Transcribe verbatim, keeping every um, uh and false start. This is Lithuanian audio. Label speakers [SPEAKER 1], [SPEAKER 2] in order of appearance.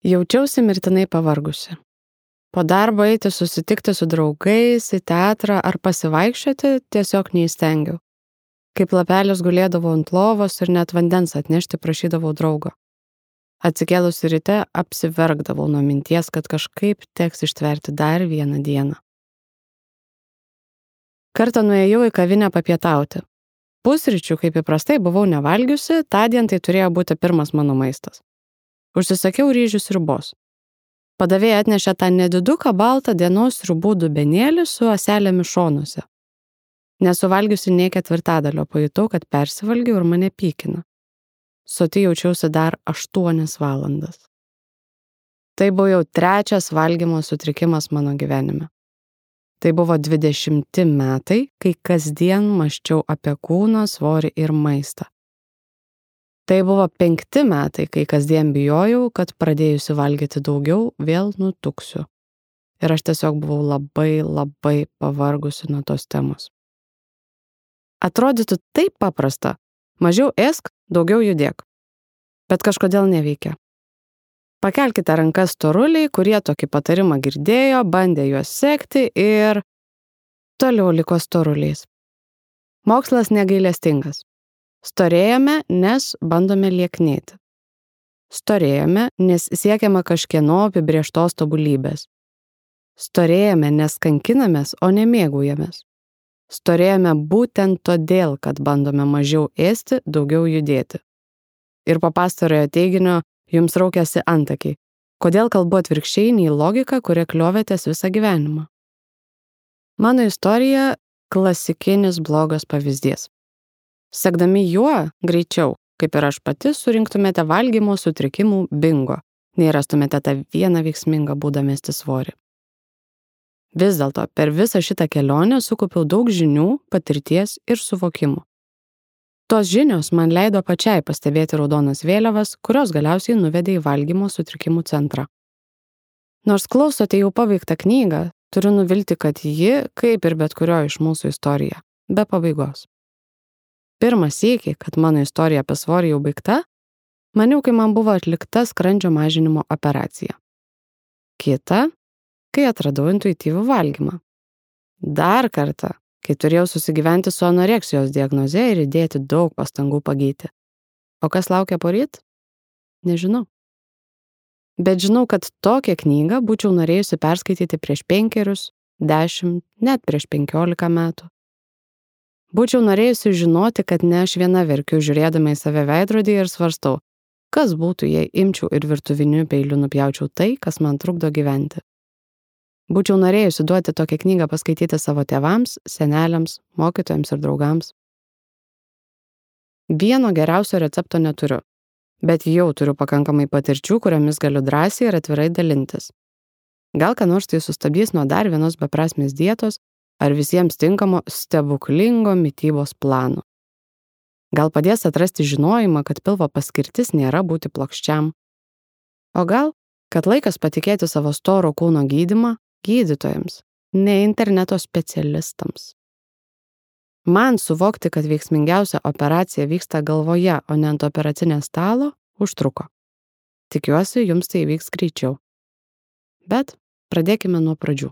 [SPEAKER 1] Jaučiausi mirtinai pavargusi. Po darbo eiti susitikti su draugais, į teatrą ar pasivaikščioti tiesiog neįstengiau. Kaip lapelis gulėdavau ant lovos ir net vandens atnešti prašydavau draugo. Atsikėlusi ryte apsiverkdavau nuo minties, kad kažkaip teks ištverti dar vieną dieną. Kartą nuėjau į kavinę papietauti. Pusryčių, kaip įprastai, buvau nevalgiusi, tądien tai turėjo būti pirmas mano maistas. Užsisakiau ryžių sriubos. Padavėja atnešė tą nediduką baltą dienos sriubų dubenėlį su ąselėmis šonuose. Nesuvalgiusi nei ketvirtadalio, pajutau, kad persivalgiau ir mane pykina. Soti jaučiausi dar aštuonias valandas. Tai buvo jau trečias valgymo sutrikimas mano gyvenime. Tai buvo dvidešimti metai, kai kasdien mąsčiau apie kūno svorį ir maistą. Tai buvo penkti metai, kai kasdien bijojau, kad pradėjusi valgyti daugiau, vėl nutuksiu. Ir aš tiesiog buvau labai, labai pavargusi nuo tos temos. Atrodytų taip paprasta. Mažiau ėsk, daugiau judėk. Bet kažkodėl neveikia. Pakelkite rankas storuliai, kurie tokį patarimą girdėjo, bandė juos sekti ir toliau liko storuliais. Mokslas negailestingas. Storėjame, nes bandome lieknėti. Storėjame, nes siekiame kažkieno apibrėžtos tobulybės. Storėjame, nes kankinamės, o ne mėgaujamės. Storėjame būtent todėl, kad bandome mažiau ėsti, daugiau judėti. Ir po pastarojo teiginio jums raukiasi antakiai. Kodėl kalbu atvirkščiai nei logika, kuria kliovėtės visą gyvenimą? Mano istorija – klasikinis blogas pavyzdys. Sekdami juo, greičiau, kaip ir aš pati, surinktumėte valgymo sutrikimų bingo, nei rastumėte tą vieną veiksmingą būdą mesti svorį. Vis dėlto, per visą šitą kelionę sukaupiau daug žinių, patirties ir suvokimų. Tos žinios man leido pačiai pastebėti raudonas vėliavas, kurios galiausiai nuvedė į valgymo sutrikimų centrą. Nors klausote jau paveiktą knygą, turiu nuvilti, kad ji, kaip ir bet kurio iš mūsų istorija, be pabaigos. Pirmą sykį, kad mano istorija apie svorį jau baigta, maniau, kai man buvo atlikta skrandžio mažinimo operacija. Kita, kai atradau intuityvų valgymą. Dar kartą, kai turėjau susigyventi su anoreksijos diagnoze ir įdėti daug pastangų pagyti. O kas laukia poryt? Nežinau. Bet žinau, kad tokią knygą būčiau norėjusi perskaityti prieš penkerius, dešimt, net prieš penkiolika metų. Būčiau norėjusi žinoti, kad ne aš viena verkiu žiūrėdama į save veidrodį ir svarstau, kas būtų, jei imčiau ir virtuviniu peiliu nupjaučiau tai, kas man trukdo gyventi. Būčiau norėjusi duoti tokią knygą paskaityti savo tėvams, seneliams, mokytojams ir draugams. Vieno geriausio recepto neturiu, bet jau turiu pakankamai patirčių, kuriomis galiu drąsiai ir atvirai dalintis. Gal ką nors tai sustabdys nuo dar vienos beprasmės dietos ar visiems tinkamo stebuklingo mitybos plano. Gal padės atrasti žinojimą, kad pilvo paskirtis nėra būti plokščiam. O gal, kad laikas patikėti savo storo kūno gydymą gydytojams, ne interneto specialistams. Man suvokti, kad veiksmingiausia operacija vyksta galvoje, o ne ant operacinės stalo, užtruko. Tikiuosi, jums tai įvyks greičiau. Bet pradėkime nuo pradžių.